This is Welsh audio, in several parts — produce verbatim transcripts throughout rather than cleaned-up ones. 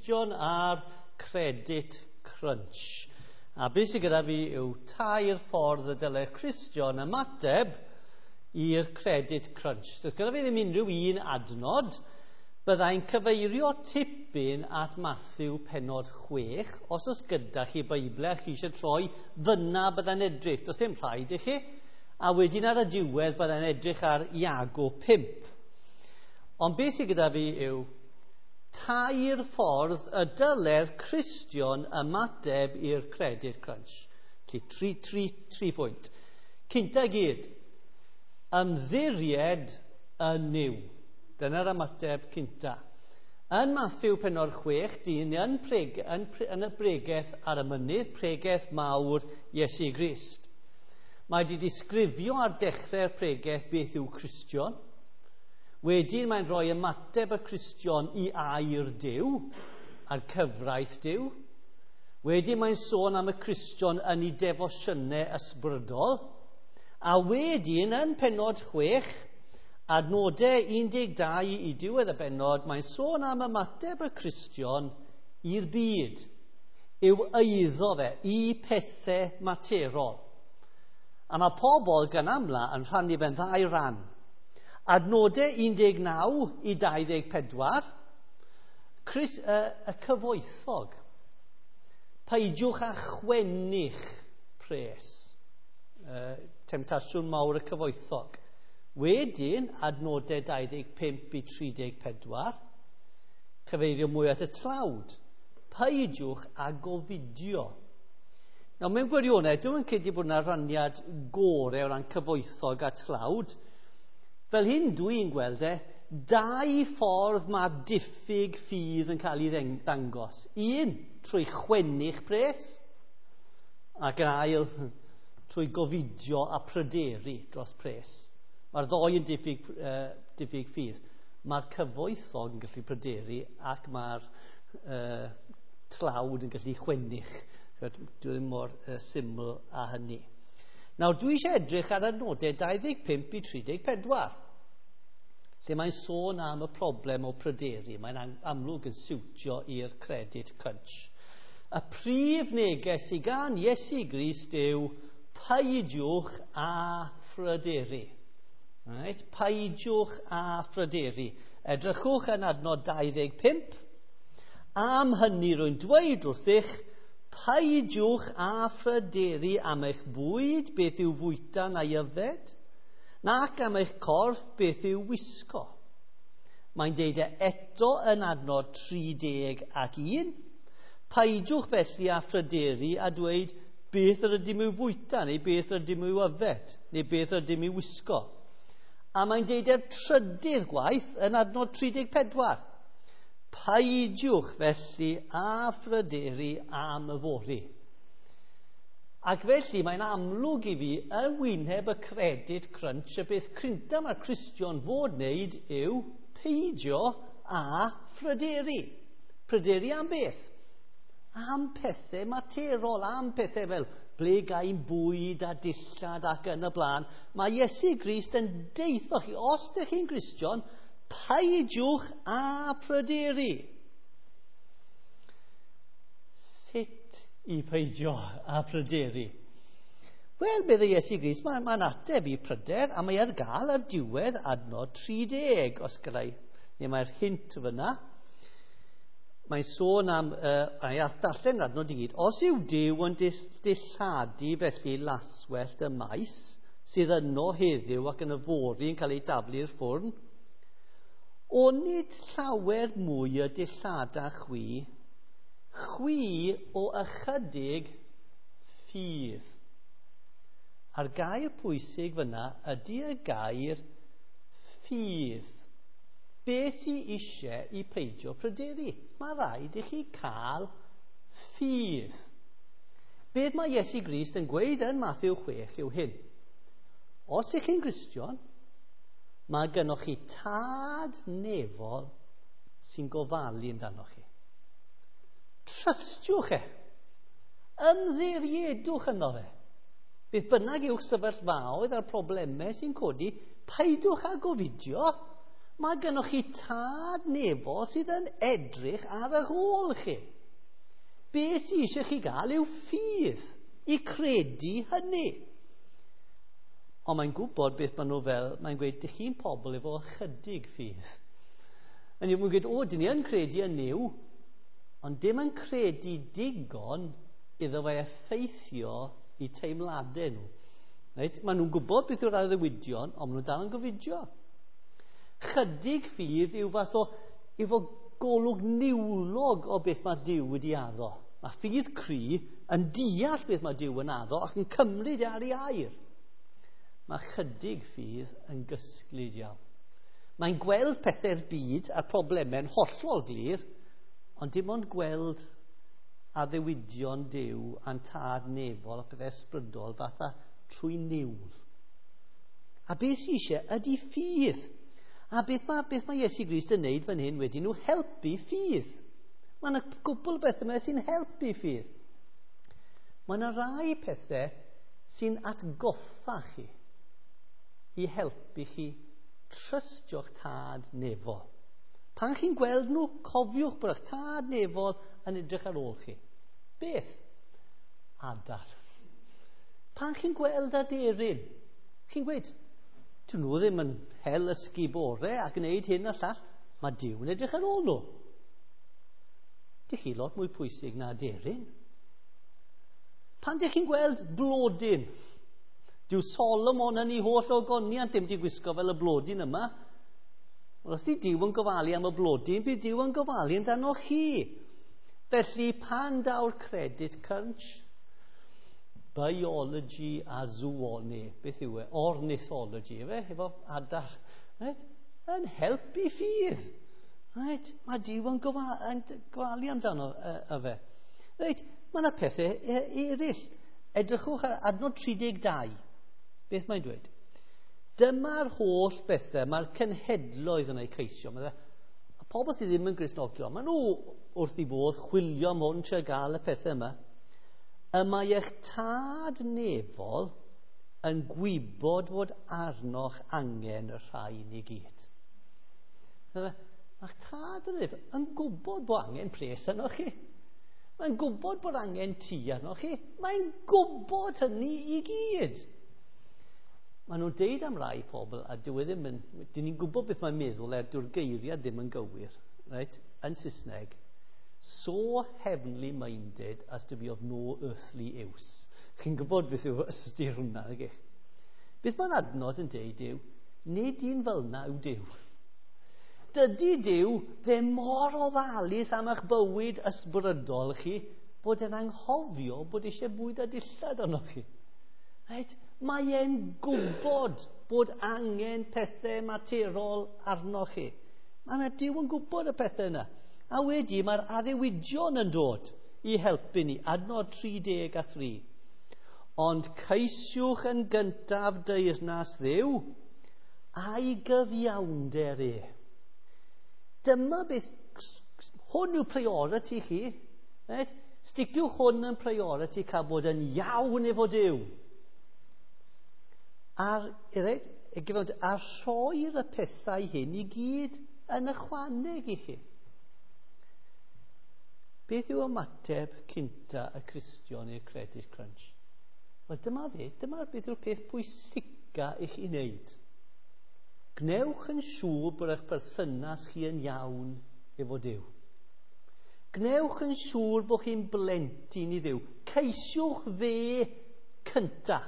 Cristion a'r Credit Crunch. A beth sydd gyda fi yw tair ffordd y dylai'r Cristion ymateb i'r Credit Crunch. Does gyda fi ddim unrhyw un adnod. Byddai'n cyfeirio tipyn at Matthew pennod chwech. Os oes gyda chi Beibl a chi eisiau troi, fyna byddai'n edrych. Does dim rhaid i chi. A wedyn ar y diwedd byddai'n edrych ar Iago pump. Ond beth sydd gyda fi yw tair ffordd y dylai'r Cristion ymateb i'r Credit Crunch. Felly, tri, tri, tri phwynt. Cynta gyd, ymddiried yn Nuw. Dyna'r ymateb cynta. Yn Matthew pennod chwech, dyn yn, preg, yn, yn y bregeth ar y mynydd, pregeth mawr Iesu Grist. Mae wedi disgrifio ar dechrau'r pregeth beth yw Cristion. Wedyn mae'n rhoi ymateb y Cristion i air Duw, a'r cyfraith Duw. Wedyn mae'n sôn am y Cristion yn ei defosiynau ysbrydol. A wedyn yn pennod chwech, adnodau un deg dau i diwedd y bennod, mae'n sôn am ymateb y Cristion i'r byd, yw eiddo fe, i pethau materol. A mae pobl gan amla yn rhannu fe'n ddau ran. Adnodau un deg naw i dau ddeg pedwar, Chris, uh, y cyfoethog. Peidiwch â chwennych pres. Uh, temtasiwn mawr y cyfoethog. Wedyn, adnodau dau ddeg pump i tri deg pedwar, cyfeirio mwy at y tlawd. Peidiwch â gofidio. Nawr, mewn gwirionedd, dwi'n credu bod yna raniad gorau o ran cyfoethog a tlawd. Fel hyn dwi'n gweld e, dau ffordd mae diffyg ffydd yn cael ei ddangos. Un, trwy chwennych pres, ac yn ail, trwy gofidio a pryderu dros pres. Mae'r ddoi yn diffyg, uh, diffyg ffydd. Mae'r cyfoethog yn gallu pryderu ac mae'r uh, tlawd yn gallu chwennych. Dwi ddim mor uh, syml â hynny. Nawr, dwi eisiau edrych ar adnodau dau ddeg pump i tri deg pedwar, lle mae'n sôn am y problem o pryderu. Mae'n amlwg yn siwtio i'r Credit Crunch. Y prif neges sydd gan Iesu Grist yw peidiwch â phryderu. Right? Peidiwch â phryderu. Edrychwch yn adnod dau ddeg pump. Am hynny rwy'n dweud wrthych, peidiwch â phryderu am eich bwyd, beth yw fwyta neu yfed, nac am eich corff, beth yw wisgo. Mae'n deud e eto yn adnod tri deg ac un. Peidiwch felly â phryderu a dweud beth yr ydym i'w fwyta, neu beth yr ydym i'w yfed, neu beth yr ydym i'w wisgo. A mae'n deud e'r trydydd gwaith yn adnod tri deg pedwar. Peidiwch felly â phryderu am yfory. Ac felly mae'n amlwg i fi yn wyneb y Credit Crunch y beth cynta mae'r Cristion fod wneud yw peidio â phryderu. Pryderu am beth? Am pethau materol, am pethau fel ble gael bwyd a dillad ac yn y blaen. Mae Iesu Grist yn deitho chi, os ydych chi'n Gristion, peidiwch â pryderu. Sut i peidio â pryderu? Wel, meddai Iesu Grist, mae'n mae ateb i pryder, a mae ar gael ar diwedd adnod tri deg, os gallai, neu mae'r hint fyna. Mae'n sôn am, uh, a'i darllen adnod i gyd, os yw Duw yn dilladu felly laswellt y maes, sydd yno heddiw ac yn yfory yn cael ei daflu i'r ffwrn, onid llawer mwy y dillada chwi, chwi o ychydig ffydd. A'r gair pwysig fyna ydy y gair ffydd. Be sy eisiau i peidio pryderu? Mae rhaid i chi cael ffydd. Beth mae Iesu Grist yn gweud yn Matthew chwech yw hyn. Os ych chi'n Gristion, mae gennoch chi tad nefol sy'n gofalu amdanoch chi. Trystiwch e. Ymddiriedwch yno fe. Beth bynnag yw'ch sefyllfaoedd a'r problemau sy'n codi, peidiwch â gofidio. Mae gennych chi tad nefol sydd yn edrych ar eich ôl chi. Be sydd eisiau chi gael yw ffydd i credu hynny. Ond mae'n gwybod beth maen nhw fel, mae'n gweud, dych chi'n pobl efo ychydig ffydd. Yn yw, mae'n gweud, o, dyn ni yn credu yn Nuw, ond dim yn credu digon iddo fe effeithio i teimladau nhw. Reit? Maen nhw'n gwybod beth yw'r addewidion, ond maen nhw dal yn gofidio. Chydig ffydd yw fath o, efo golwg niwlog o beth mae Duw wedi addo. Mae ffydd cry yn deall beth mae Duw yn addo ac yn cymryd e ar ei air. Mae chydig ffydd yn gysglyd iawn. Mae'n gweld pethau'r byd a'r problemau'n hollol glir, ond dim ond gweld addewidion Duw a'n tad nefol a pethau ysbrydol fatha trwy niwl. A beth sydd eisiau ydy ffydd. A beth mae, beth mae Iesu Grist yn neud fan hyn wedyn nhw helpu ffydd. Mae yna gwbl beth yma sy'n helpu ffydd. Mae yna rai pethau sy'n atgoffa chi i helpu chi trystio'ch tad nefol. Pan chi'n gweld nhw, cofiwch bod eich tad nefol yn edrych ar ôl chi. Beth? Adar. Pan chi'n gweld aderyn, chi'n gweud, dyn nhw ddim yn hel ysgubore a gwneud hyn a llall, mae Duw yn edrych ar ôl nhw. Dych chi lot mwy pwysig na aderyn. Pan dych chi'n gweld blodyn, dyw Solomon yn ei holl ogoniant ddim wedi gwisgo fel y blodyn yma. Wel, os di Duw yn gofalu am y blodyn, bydd Duw yn gofalu amdano chi. Felly, pan daw'r credit crunch, biology a zoology, beth yw e? Ornithology, efe? Efo adar. Right? Yn helpu ffydd. Right? Mae Duw yn gofalu amdano efe. Right? Mae yna pethau eraill. Edrychwch ar adnod tri deg dau. Beth mae'n dweud? Dyma'r holl bethau mae'r cenhedloedd yn eu ceisio. Mae y pobl sydd ddim yn Gristnogion, maen nhw wrth i bodd chwilio am hwn trio gael y pethau yma. Y mae eich tad nefol yn gwybod fod arnoch angen y rhain i gyd. Mae'ch tad yn nefol yn gwybod bod angen pres arnoch chi. Mae'n gwybod bod angen tŷ arnoch chi. Mae'n gwybod hynny i gyd. Maen nhw'n deud am rai pobl, a dyw e ddim yn, dyn ni'n gwybod beth mae'n meddwl er dyw'r geiriau ddim yn gywir, right? Yn Saesneg, so heavenly minded as to be of no earthly use. Chi'n gwybod beth yw ystyr hwnna, nag ych? Beth mae'n adnod yn deud yw, nid un fel yna yw Duw. Dydy Duw ddim mor ofalus am eich bywyd ysbrydol chi, bod e'n anghofio bod eisiau bwyd a dillad arnoch chi. Right? Mae e'n gwybod bod angen pethau materol arnoch chi. Mae Duw yn gwybod y pethau yna. A wedi mae'r addewidion yn dod i helpu ni. Adnod tri deg a thri. Ond ceisiwch yn gyntaf deyrnas Dduw a'i gyfiawnder e. Dyma beth, hwn yw priority chi. Right? Sticiwch hwn yn priority cael bod yn iawn efo Duw. A'r, right, a rhoi'r y pethau hyn i gyd yn ychwaneg i chi. Beth yw ymateb cynta y Cristion i'r credit crunch? Wel, dyma fe, dyma beth yw'r peth pwysica i chi wneud. Gwnewch yn siŵr bod eich perthynas chi yn iawn efo Duw. Gwnewch yn siŵr bod chi'n blentyn i Dduw. Ceisiwch fe cynta.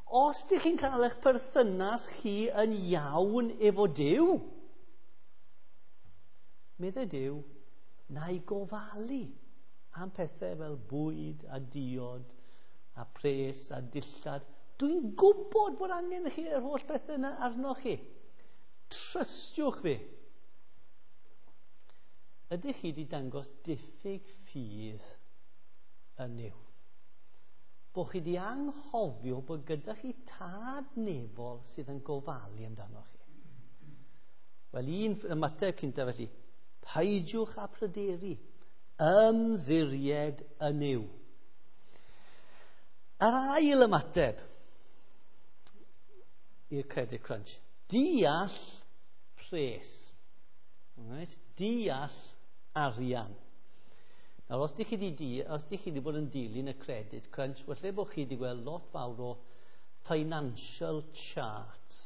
Os ydych chi'n cael eich perthynas chi yn iawn efo Duw, meddai Duw, na i gofalu am pethau fel bwyd a diod a pres a dillad. Dwi'n gwybod bod angen chi yr holl bethau yna arnoch chi. Trystiwch fi. Ydych chi wedi dangos diffyg ffydd yn Nuw? Bod chi wedi anghofio bod gyda chi tad nefol sydd yn gofalu amdanoch chi. Wel, un ymateb cynta felly, peidiwch â pryderu, ymddiried yn Nuw. Yr ail ymateb i'r credit crunch, deall pres. Right? Deall arian. Nawr, os dych chi wedi, os dych chi wedi bod yn dilyn y credit crunch, falle bod chi wedi gweld lot fawr o financial charts.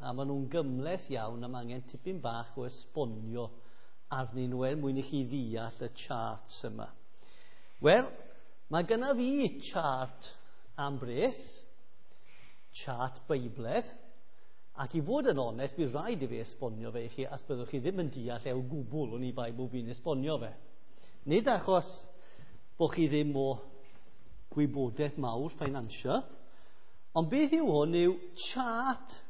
A maen nhw'n gymhleth iawn a mae angen tipyn bach o esbonio arnyn nhw er mwyn i chi ddeall y charts yma. Wel, mae gynna fi chart am bres, chart Beibledd, ac i fod yn onest, bydd rhaid i fi esbonio fe i chi, as byddwch chi ddim yn deall e o gwbl oni bai bod fi'n esbonio fe. Nid achos bod chi ddim o gwybodaeth mawr financial, ond beth yw hwn yw chart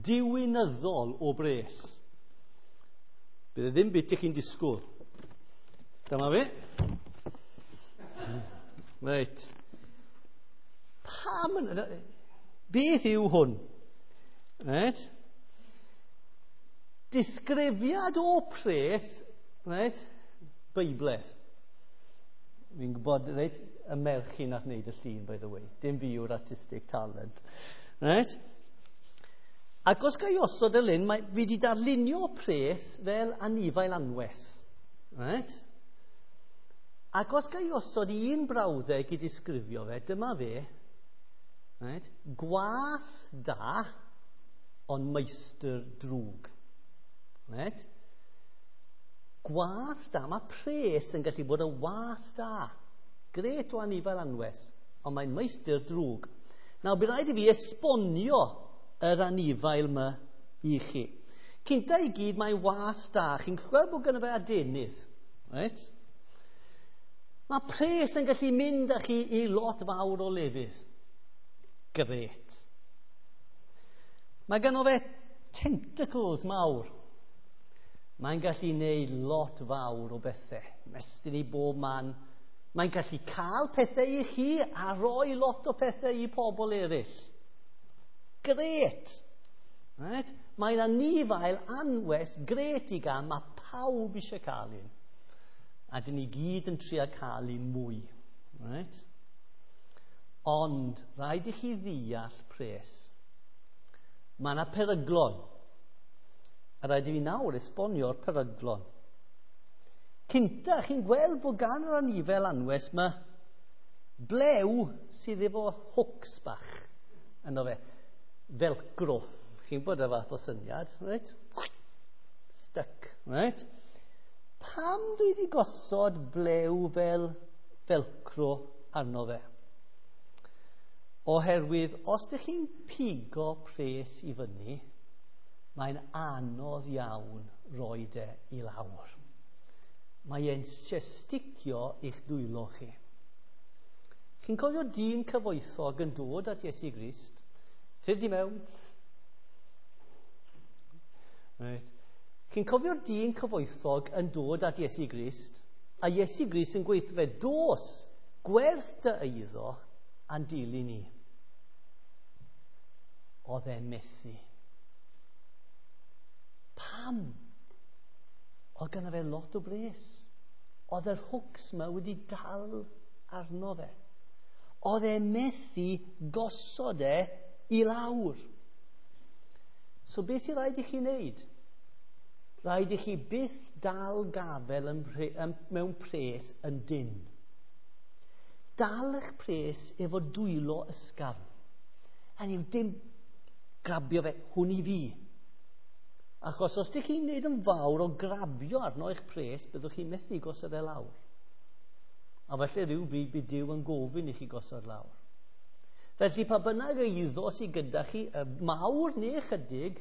diwinyddol o bres. Bydd e ddim beth ych chi'n disgwyl. Dyma fi. Reit. Pam yn... Beth yw hwn? Reit. Disgrifiad o pres, reit, Beibledd. Fi'n gwybod, reit, y merch chi nath wneud y llun, by the way. Dim fi yw'r artistic talent. Reit? Ac os ga i osod y lun, mae, fi wedi darlunio pres fel anifail anwes. Reit? Ac os ga i osod un brawddeg i disgrifio fe, dyma fe, reit? Gwas da, ond meistr drwg. Reit? Gwas da, mae pres yn gallu bod yn was da. Gret o anifail anwes, ond mae'n meistr drwg. Nawr, bydd rhaid i fi esbonio yr anifail yma i chi. Cynta i gyd, mae'n was da. Chi'n gweld bod gynno fe adenydd. Right? Mae pres yn gallu mynd â chi i lot fawr o lefydd. Gret. Mae gynno fe tentacles mawr. Mae'n gallu gwneud lot fawr o bethau. Mestyn i bob man. Mae'n gallu cael pethau i chi a rhoi lot o pethau i pobl eraill. Gret. Right? Mae'n anifail anwes gret i gael. Mae pawb eisiau cael un. A dyn ni gyd yn trio cael un mwy. Right? Ond rhaid i chi ddeall pres. Mae yna peryglon. A rhaid i fi nawr esbonio'r peryglon. Cynta, chi'n gweld bod gan yr anifail anwes yma blew sydd efo hooks bach yno fe. Velcro. Chi'n bod y fath o syniad, right? Stuck, right? Pam dwi wedi gosod blew fel velcro arno fe? Oherwydd, os ydych chi'n pigo pres i fyny, mae'n anodd iawn roi e i lawr. Mae e'n sticio i'ch dwylo chi. Chi'n cofio dyn cyfoethog yn dod at Iesu Grist? Tyd i mewn. Right. Chi'n cofio'r dyn cyfoethog yn dod at Iesu Grist, a Iesu Grist yn gweithio fe, dos, gwerth dy eiddo a'n dilyn ni. Oedd e'n methu. Pam? Oedd gynno fe lot o bres. Oedd yr hooks yma wedi dal arno fe. Oedd e'n methu gosod e i lawr. So beth sy'n rhaid i chi wneud? Rhaid i chi byth dal gafel yn pre, yn, mewn pres yn dyn. Dal eich pres efo dwylo ysgafn. A ni'n dim grabio fe, hwn i fi. Achos os ydych chi'n gwneud yn fawr o grabio arno eich pres, byddwch chi'n methu gosod e lawr. A felly rhyw bryd bydd Duw yn gofyn i chi gosod lawr. Felly pa bynnag eiddo sydd gyda chi, mawr neu chydig,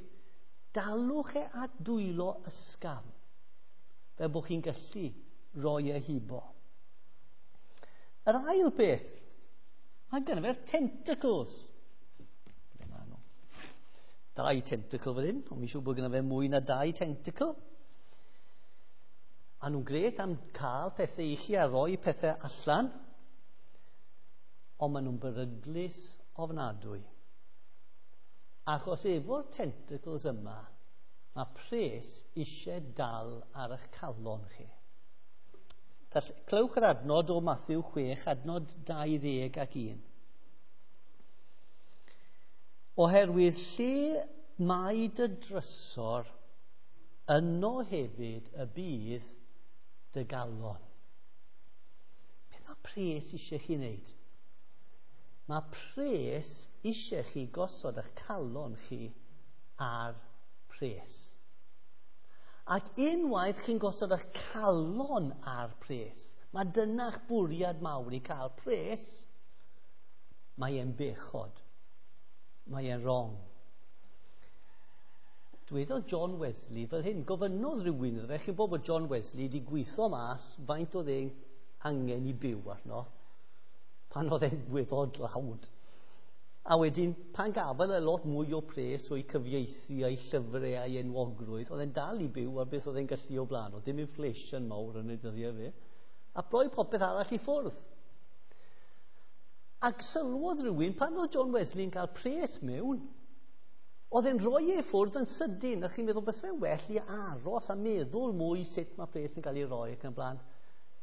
dalwch e at dwylo ysgafn, fel bod chi'n gallu roi e hibo. Yr ail beth, mae gynno fe'r tentacles. Dau tentacle fan hyn, ond mi'n siŵr bod gynno fe mwy na dau tentacle. A nhw'n gret am cael pethau i chi a roi pethau allan, ond maen nhw'n beryglus ofnadwy. Achos efo'r tentacles yma, mae pres eisiau dal ar eich calon chi. Clywch yr adnod o Matthew chwech, adnod dau ddeg ac un. Oherwydd lle mae dy drysor, yno hefyd y bydd dy galon. Beth mae pres eisiau chi wneud? Mae pres eisiau chi gosod eich calon chi ar pres. Ac unwaith chi'n gosod eich calon ar pres, mae dyna'ch bwriad mawr i cael pres, mae e'n bechod. Mae e'n wrong. Dwedodd John Wesley fel hyn, gofynnodd rhywun iddo fe, chi'n bod bod John Wesley wedi gweithio mas faint oedd e'n angen i byw arno, pan oedd e'n gweddol dlawd. A wedyn, pan gafodd e lot mwy o pres o'i cyfieithu a'i llyfrau a'i enwogrwydd, oedd e'n dal i byw ar beth oedd e'n gallu o blaen. Oedd dim inflation mawr yn ei dyddiau fe. A broi popeth arall i ffwrdd. Ac sylwodd rhywun, pan oedd John Wesley'n cael pres mewn, oedd e'n rhoi ei ffwrdd yn sydyn. A chi'n meddwl, bys fe'n well i aros a meddwl mwy sut mae pres yn cael ei roi ac yn blaen.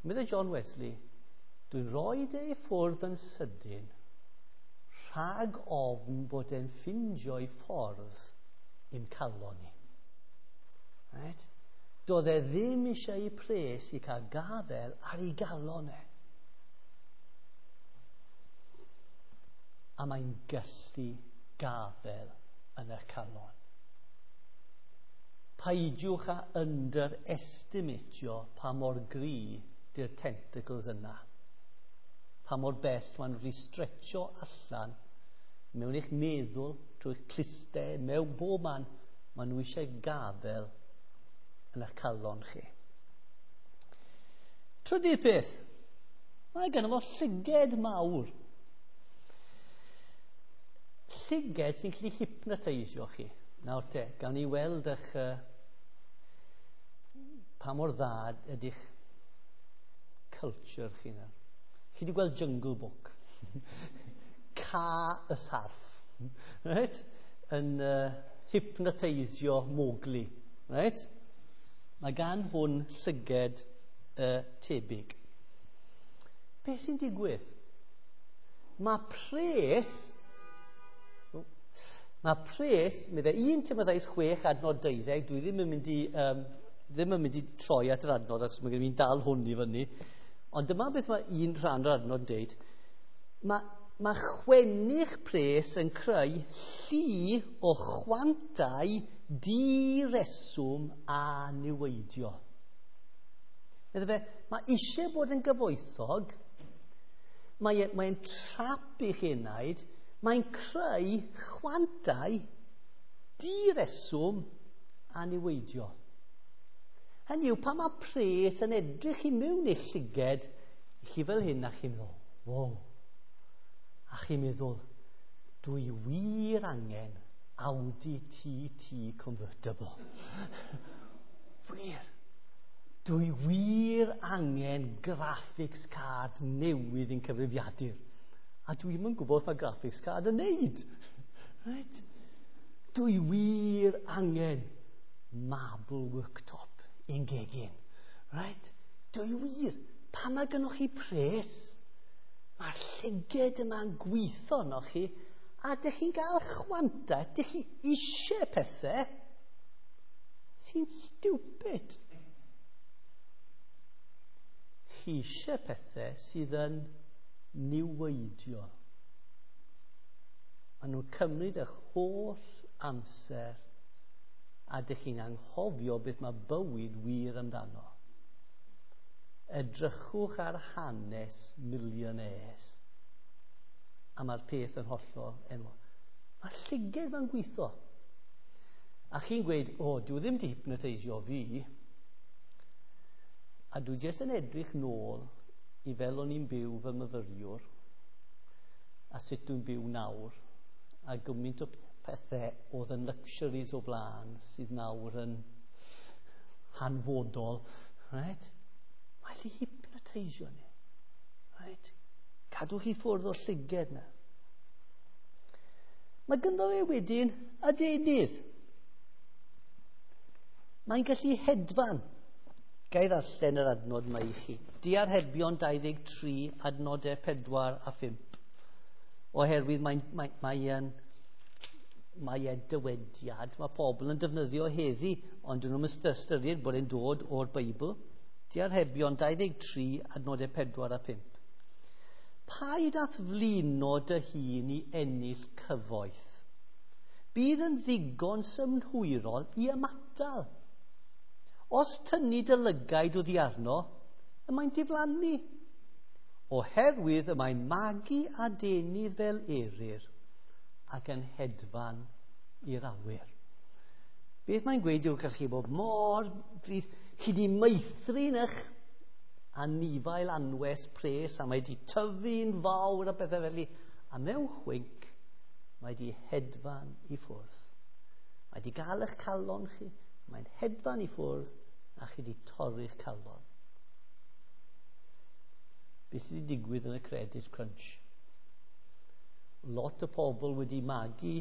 Meddai John Wesley, dwi'n rhoi ei ffwrdd yn sydyn rhag ofn bod e'n ffindio'i ffordd i'n calon ni. Right? Doedd e ddim eisiau ei pres i cael gafel ar ei galon e. A mae'n gallu gafel yn eich calon. Peidiwch a underestimatio pa mor gry di'r tentacles yna. Pa mor bell maen nhw'n wedi stretcho allan mewn eich meddwl, trwy'ch clustau, mewn bob man, maen nhw eisiau gafel yn eich calon chi. Trydydd peth, mae gynno fo llyged mawr. Llyged sy'n gallu hypnoteisio chi. Nawr te, gawn ni weld eich, uh, pa mor dda ydych culture chi nawr. Chi wedi gweld Jungle Book? Ca y sarff. Right? Yn uh, hypnoteisio Mowgli. Right? Mae gan hwn llyged uh, tebyg. Be sy'n digwydd? Mae pres... Mae pres, meddai un Timotheus chwech adnod deuddeg, dwi ddim yn mynd i, um, ddim yn mynd i troi at yr adnod, achos mae gen i'n dal hwn i fyny. Ond dyma beth mae un rhan o'r adnod yn deud. Mae, mae chwennych pres yn creu llu o chwantau direswm a niweidio. Meddai fe, mae eisiau bod yn gyfoethog, mae'n mae trap i'ch enaid, mae'n creu chwantau direswm a niweidio. Hynny yw, pan mae pres yn edrych i mewn i'ch llyged, chi fel hyn a chi'n meddwl, wow. A chi'n meddwl, dwi wir angen Audi T T convertible. Wir. Dwi wir angen graphics card newydd i'n cyfrifiadur. A dwi'm yn gwybod mae graphics card yn neud. Right? Dwi wir angen marble worktop i'n gegin. Right? Dwi wir. Pan mae gynnoch chi pres, mae'r llyged yma'n gweithio arnoch chi, a dych chi'n cael chwanta, dych chi eisiau pethau sy'n stupid. Chi eisiau pethau sydd yn niweidio. Maen nhw'n cymryd eich holl amser a dych chi'n anghofio beth mae bywyd wir amdano. Edrychwch ar hanes millionaires. A mae'r peth yn hollol enwog. Mae'r llyged ma'n gweithio. A chi'n gweud, o, dwi ddim di hypnoteisio fi. A dwi jyst yn edrych nôl i fel o'n i'n byw fel myfyriwr a sut dwi'n byw nawr a gymaint o pethau oedd yn luxuries o blaen sydd nawr yn hanfodol. Right? Mae'n lli hypnoteisio ni. Right? Cadw chi ffwrdd o'r llyged na. Mae ganddo fe wedyn adenydd. Mae'n gallu hedfan. Ga i ddarllen yr adnod yma i chi. Diarhebion dau ddeg tri, adnodau pedwar a phump. Oherwydd mae'n mae, mae yn, Mae e'n dywediad, mae pobl yn defnyddio heddi, ond dyn nhw'n ystyried bod e'n dod o'r Beibl. Diarhebion dau ddeg tri, adnodau pedwar a pump. Paid at flino dy hun i ennill cyfoeth. Bydd yn ddigon synhwyrol i ymatal. Os tynnu dy lygaid oddi arno, y mae'n diflannu. Oherwydd y mae'n magu adenydd fel eryr ac yn hedfan i'r awyr. Beth mae'n gweud yw gallu bod mor bryd, chi di meithrin eich anifail anwes pres a mae di tyfu'n fawr a bethau felly. A mewn chwinc, mae di hedfan i ffwrdd. Mae di gael eich calon chi, mae'n hedfan i ffwrdd a chi di torri'ch calon. Beth sydd wedi digwydd yn y credit crunch? Lot o pobl wedi magu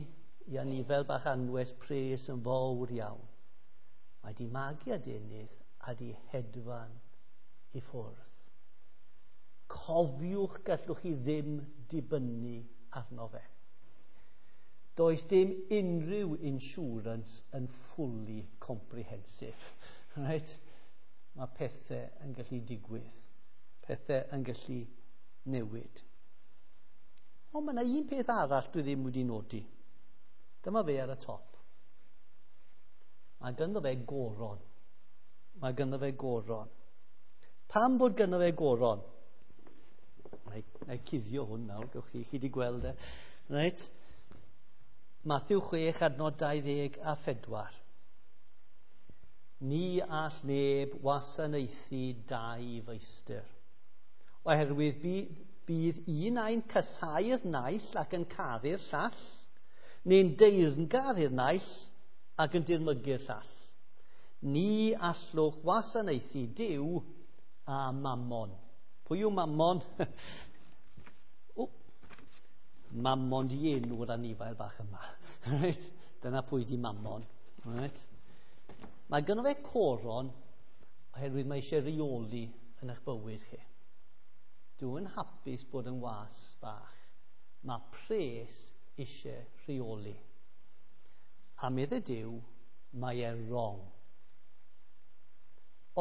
i anifail bach anwes pres yn fawr iawn. Mae di magu adenydd a di hedfan i ffwrdd. Cofiwch gallwch chi ddim dibynnu arno fe. Does dim unrhyw insurance yn fully comprehensive. Right? Mae pethau yn gallu digwydd. Pethau yn gallu newid. Ond mae yna un peth arall dwi ddim wedi nodi. Dyma fe ar y top. Mae ganddo fe goron. Mae ganddo fe goron. Pam bod ganddo fe goron? Na i, na i cuddio hwn nawr, gewch chi, chi wedi gweld e. Right? Matthew chwech, adnod dau ddeg a phedwar. Ni all neb wasanaethu dau feistr. Oherwydd bydd un ai'n casáu'r naill ac yn caru'r llall, neu'n deyrngar i'r naill ac yn dirmygu'r llall. Ni allwch wasanaethu Duw a Mammon. Pwy yw Mammon? O, Mammon di enw'r anifail bach yma. Right? Dyna pwy di Mammon. Right? Mae gynno fe coron oherwydd mae eisiau reoli yn eich bywyd chi. Dwi'n hapus bod yn was bach. Mae pres eisiau rheoli. A meddai Duw, mae e'n wrong.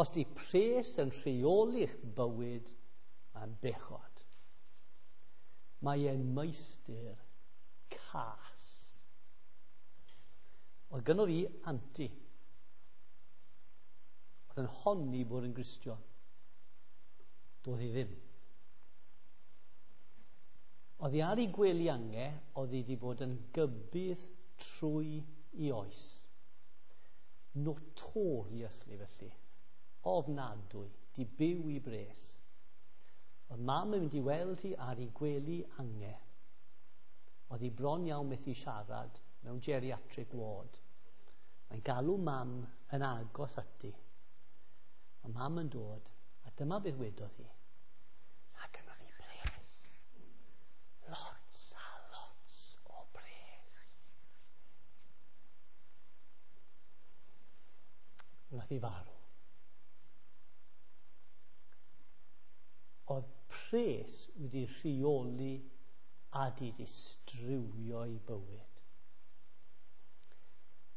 Os di pres yn rheoli'ch bywyd, mae'n bechod. Mae e'n meistr cas. Oedd gynno fi anti. Oedd yn honni bod yn Gristion. Doedd hi ddim. Oedd hi ar ei gwely ange, oedd hi wedi bod yn gybydd trwy i oes. Notoriously felly. Ofnadwy, di byw i bres. Oedd mam yn mynd i weld hi ar ei gwely ange. Oedd hi bron iawn methu siarad mewn geriatric ward. Mae'n galw mam yn agos ati. Mae mam yn dod, a dyma beth wedodd hi. A gynnodd hi bres. Lots a lots o bres. Wnaeth hi farw. Oedd pres wedi rheoli a di distrywio ei bywyd.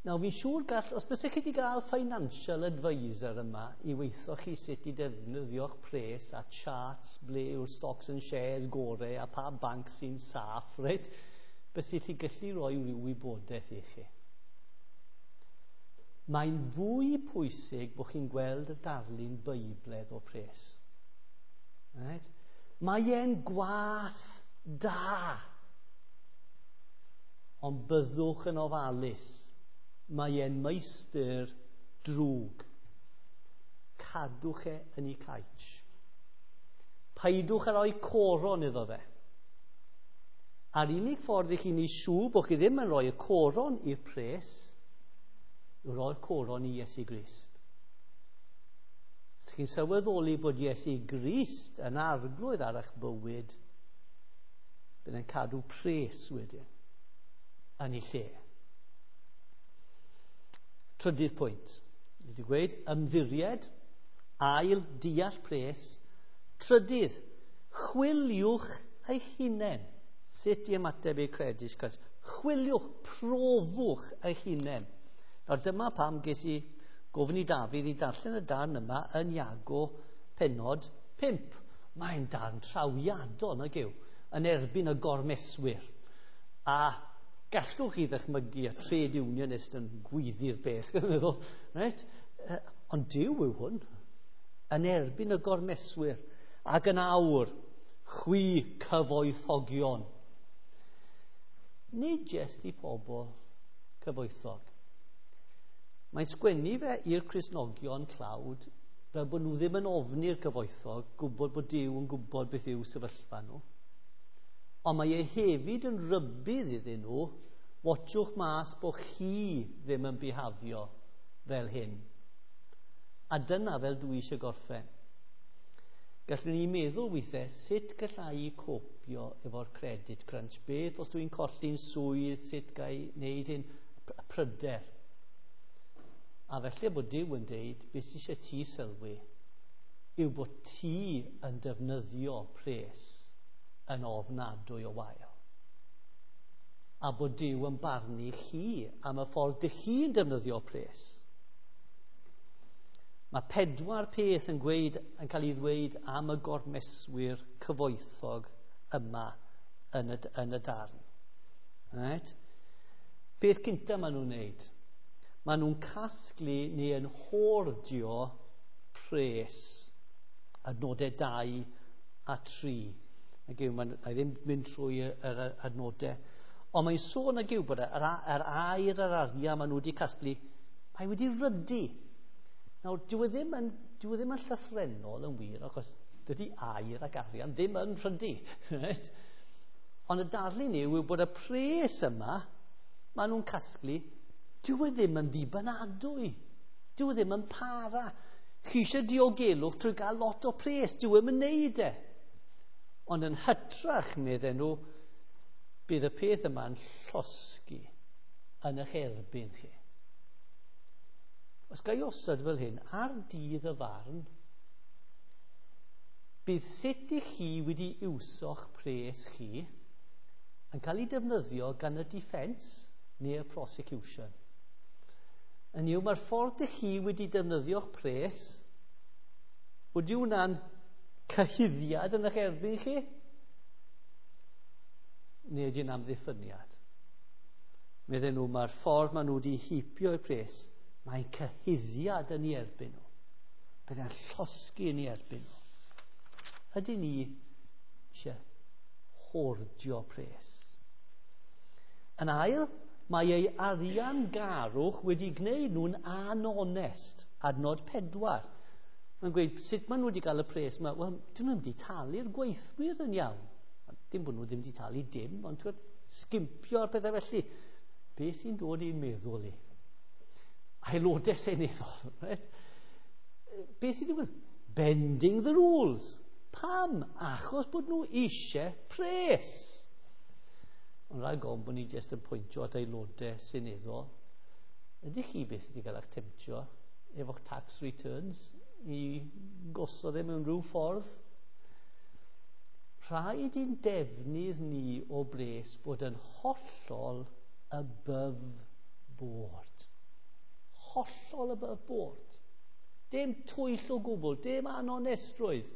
Nawr, fi'n siŵr gall, os bysech chi wedi gael financial advisor yma i weithio chi sut i defnyddio'ch pres a charts ble yw'r stocks and shares gore a pa banc sy'n saff, reit? Bysech chi gallu rhoi rhyw wybodaeth i chi. Mae'n fwy pwysig bod chi'n gweld y darlun Beibledd o pres. Right? Mae e'n gwas da. Ond byddwch yn ofalus. Mae e'n meistr drwg. Cadwch e yn ei caets. Paidwch â rhoi coron iddo fe. A'r unig ffordd i chi'n ei siŵr bod chi ddim yn rhoi y coron i'r pres yw rhoi'r coron i Iesu Grist. Os chi'n sylweddoli bod Iesu Grist yn arglwydd ar eich bywyd, bydd yn cadw pres wedyn yn ei lle. Trydydd pwynt. Ni wedi gweud ymddiried, ail deall pres. Trydydd, chwiliwch eich hunain. Sut i ymateb i'r credit crunch? Chwiliwch, profwch eich hunain. Nawr dyma pam ges i gofyn i Dafydd i darllen y darn yma yn Iago pennod pump. Mae'n darn trawiadol, nag yw, yn erbyn y gormeswyr. A gallwch chi ddychmygu y trade unionist yn gweiddi'r peth, dwi'n meddwl. Right? Ond Duw yw hwn, yn erbyn y gormeswyr. Ac yn awr, chwi cyfoethogion. Nid jest i pobl cyfoethog. Mae'n sgwennu fe i'r Cristnogion tlawd fel bod nhw ddim yn ofni'r cyfoethog, gwybod bod Duw yn gwybod beth yw sefyllfa nhw. Ond mae e hefyd yn rybudd iddyn nhw, watchwch mas bod chi ddim yn bihafio fel hyn. A dyna fel dwi eisiau gorffen. Gallwn ni meddwl weithiau sut gallai i copio efo'r credit crunch. Beth os dwi'n colli'n swydd, sut ga i wneud hyn? Pryder. A felly bod Duw yn deud, beth sydd eisiau ti sylwi yw bod ti yn defnyddio pres yn ofnadwy o wael. A bod Duw yn barnu chi am y ffordd dych chi'n defnyddio pres. Mae pedwar peth yn, gweud, yn cael ei ddweud am y gormeswyr cyfoethog yma yn y, yn y darn. Right? Beth cyntaf maen nhw'n wneud? Maen nhw'n casglu neu yn hoardio pres, adnodau dau a tri. Nag yw, mae'n, na i ddim mynd trwy yr, yr adnodau. Ond mae'n sôn nag yw bod yr, yr aur a'r arian maen nhw wedi casglu, mae wedi rhydu. Nawr, dyw e ddim yn, dyw e ddim yn llythrennol yn wir, achos dydy aur ac arian ddim yn rhydu. Right? Ond y darlun yw, yw bod y pres yma, maen nhw'n casglu, dyw e ddim yn ddibynadwy. Dyw e ddim yn para. Chi eisiau diogelwch trwy gael lot o pres, dyw e ddim yn neud e. Ond yn hytrach, medden nhw, bydd y peth yma'n llosgi yn eich erbyn chi. Os ga i osod fel hyn, ar dydd y farn, bydd sut i chi wedi iwso'ch pres chi yn cael ei defnyddio gan y defence neu'r prosecution. Yn yw, mae'r ffordd i chi wedi defnyddio'ch pres, wedi hwnna'n cyhuddiad yn eich erbyn chi? Neu ydy'n amddiffyniad? Medden nhw, mae'r ffordd maen nhw wedi heipio eu pres, mae'n cyhuddiad yn ei erbyn nhw. Byddai'n llosgi yn ei erbyn nhw. Ydy ni eisiau hoardio pres? Yn ail, mae ei arian garwch wedi gwneud nhw'n anonest. Adnod pedwar. Mae'n gweud, sut maen nhw wedi cael y pres yma? Wel, dyn nhw wedi talu'r gweithwyr yn iawn. Dim bod nhw ddim wedi talu dim, ond ti'n sgimpio ar pethau felly. Be sy'n dod i'n meddwl i? Aelodau seneddol. Right? Be sy'n digwydd? Bending the rules. Pam? Achos bod nhw eisiau pres. Ond rhaid gofyn bod ni jyst yn pwyntio at aelodau seneddol. Ydych chi beth wedi cael eich temtio efo'ch tax returns i gosod e mewn rhyw ffordd? Rhaid i'n defnydd ni o bres bod yn hollol above board. Hollol above board. Dim twyll o gwbl, dim anonestrwydd.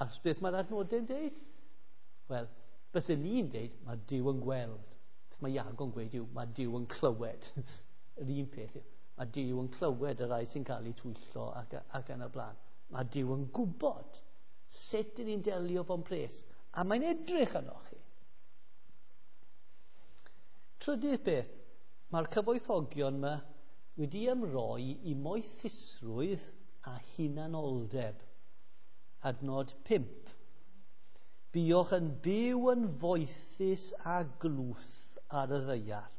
A beth mae'r adnodau'n deud? Wel, byswn ni'n deud, mae Duw yn gweld. Beth mae Iago'n gweud yw, mae Duw yn clywed. Yr un peth yw, mae Duw yn clywed y rhai sy'n cael eu twyllo ac, ac yn y blaen. Mae Duw yn gwybod sut ydyn ni'n delio fo'n pres. A mae'n edrych arnoch chi. Trydydd beth, mae'r cyfoethogion yma wedi ymroi i moethusrwydd a hunanoldeb. Adnod pump. Buoch yn byw yn foethus a glwth ar y ddaear.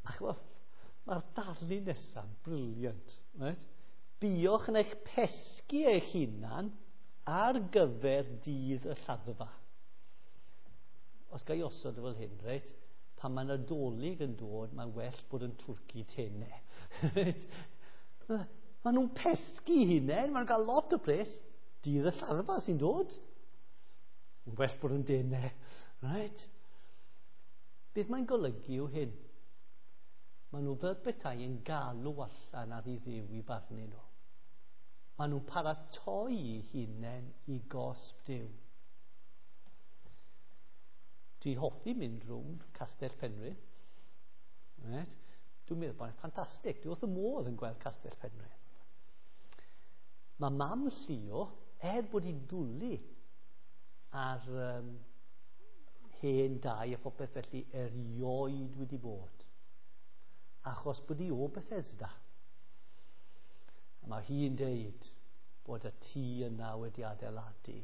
A chymod, mae'r darlun nesaf brilliant. Right? Buoch yn eich pesgu eich hunan ar gyfer dydd y lladdfa. Os ga i osod fel hyn, reit? Pan mae Nadolig yn dod, mae'n well bod yn twrci tenau. Right? Maen nhw'n pesgu hunain, maen nhw'n cael lot o pres. Dydd y lladdfa sy'n dod. Mae'n well bod yn denau. Right? Beth mae'n golygu yw hyn? Maen nhw fel petai yn galw allan ar i Dduw i barnu nhw. Maen nhw'n paratoi eu hunain i gosb Duw. Dwi hoffi mynd rownd Castell Penrhyn. Right? Dwi'n meddwl bod e'n ffantastig. Dwi wrth y modd yn gweld Castell Penrhyn. Mae mam Llio, er bod hi'n dwlu ar um, hen dai a phopeth felly, erioed wedi bod. Achos bod hi o Bethesda. A mae hi'n deud bod y tŷ yna wedi adeiladu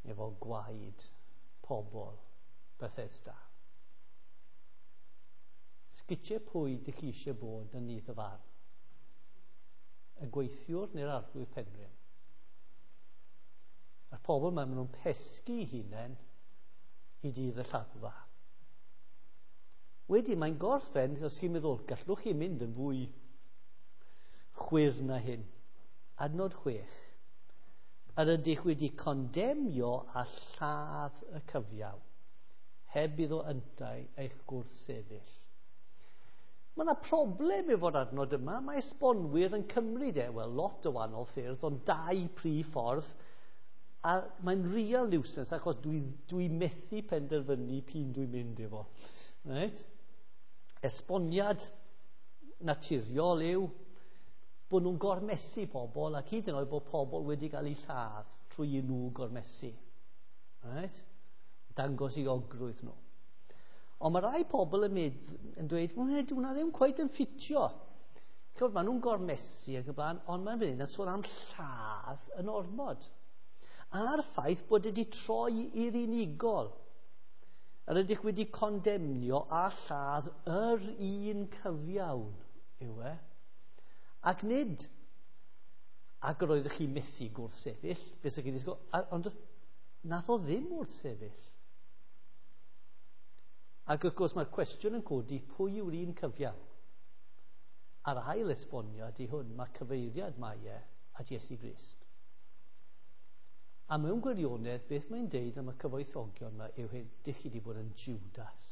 efo gwaed pobl Bethesda. Sgitiau pwy dych chi eisiau bod yn nydd y farn? Y gweithiwr neu'r arglwydd Penrhyn? A'r pobl yma, maen nhw'n pesgu eu hunain i dydd y lladdfa. Wedyn mae'n gorffen, os chi'n meddwl, gallwch chi mynd yn fwy chwyrn na hyn. Adnod chwech. Yr ydych wedi condemnio a lladd y cyfiawn, heb iddo yntau eich gwrthsefyll. Mae yna problem efo'r adnod yma. Mae esbonwyr yn cymryd e, wel, lot o wahanol ffyrdd, ond dau prif ffordd. A mae'n real nuisance achos dwi, dwi methu penderfynu p'un dwi'n mynd efo. Right? Esboniad naturiol yw bod nhw'n gormesu pobl ac hyd yn oed bod pobl wedi cael eu lladd trwy i nhw gormesu. Right? Dangos i ogrwydd nhw. Ond mae rai pobl yn, medd, yn dweud, wel, dyw hwnna ddim cweit yn ffitio. Chymod, maen nhw'n gormesu ac y blaen, ond mae'n mynd yn sôn am lladd yn ormod. A'r ffaith bod wedi troi i'r unigol. Yr ydych wedi condemnio a lladd yr un cyfiawn, yw e. Ac nid, ac yr oeddech chi methu gwrthsefyll, beth ydych chi disgwyl, ond nath o ddim wrthsefyll. Ac wrth gwrs mae'r cwestiwn yn codi, pwy yw'r un cyfiawn? A'r ail esboniad i hwn, mae cyfeiriad mae e at Iesu Grist. A mewn gwirionedd, beth mae'n deud am y cyfoethogion yma yw hyn, dych chi wedi bod yn Judas.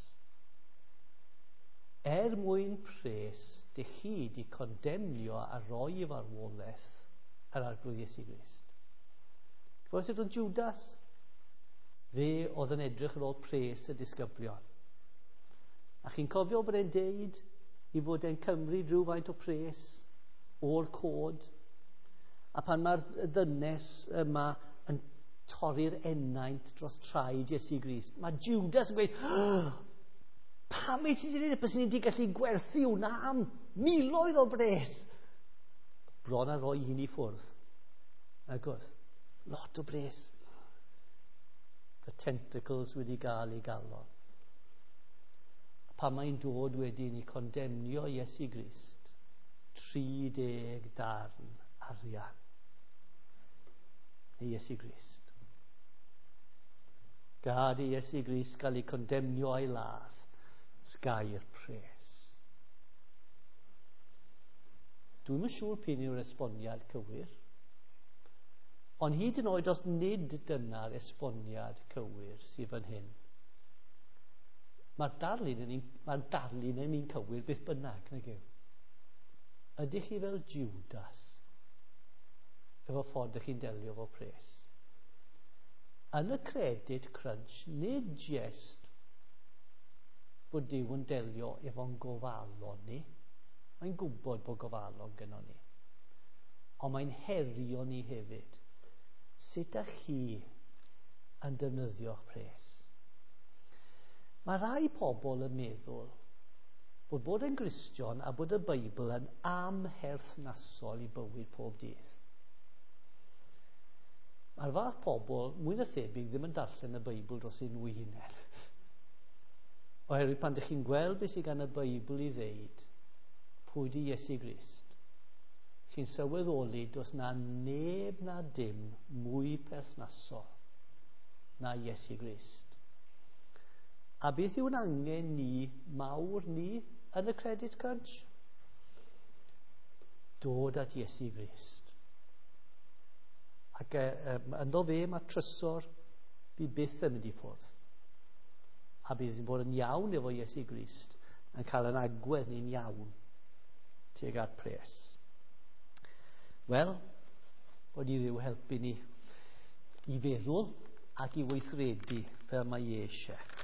Er mwyn pres, dych chi wedi condemnio a roi i farwolaeth yr Arglwydd Iesu Grist. Gwybod sut oedd Judas? Fe oedd yn edrych ar ôl pres y disgyblion. A chi'n cofio bod e'n deud i fod e'n cymryd rhywfaint o pres o'r cod. A pan mae'r ddynes yma yn torri'r ennaint dros traed Iesu Grist, mae Judas yn gweud, oh, pam wyt ti wedi gwneud? Byswn ni wedi gallu gwerthu hwnna am miloedd o bres. Bron a roi hyn i ffwrdd. Ac oedd, lot o bres. The tentacles wedi gael ei galon. Pan mae'n dod wedyn i condemnio Iesu Grist, tri deg darn arian i Iesu Grist. Gad i Iesu Grist gael ei condemnio a'i ladd, sgai'r pres. Dwi'm yn siŵr p'un yw'r esboniad cywir, ond hyd yn oed os nid dyna'r esboniad cywir sydd fan hyn, mae'r darlun yn un, mae'r darlun yn un cywir beth bynnag, nag yw? Ydych chi fel Judas efo ffordd ydych chi'n delio efo pres? Yn y credit crunch, nid jest bod Duw yn delio efo'n gofalon ni. Mae'n gwybod bod gofalon gynnon ni. Ond mae'n herio ni hefyd. Sut ydych chi yn defnyddio'ch pres? Mae rai pobl yn meddwl bod bod yn Gristion a bod y Beibl yn amherthnasol i bywyd pob dydd. Mae'r fath pobl, mwy na thebyg, ddim yn darllen y Beibl dros eu nhw eu hunain. Oherwydd pan ydych chi'n gweld beth sydd gan y Beibl i ddeud, pwy di Iesu Grist, chi'n sylweddoli does na neb na dim mwy perthnasol na Iesu Grist. A beth yw'n angen ni, mawr ni, yn y credit crunch? Dod at Iesu Grist. Ac um, ynddo fe mae trysor fi byth yn mynd i ffwrdd. A bydd yn bod yn iawn efo Iesu Grist yn cael yn agwedd ni'n iawn tuag at pres. Wel, bod i Dduw helpu ni i feddwl ac i weithredu fel mae e eisiau.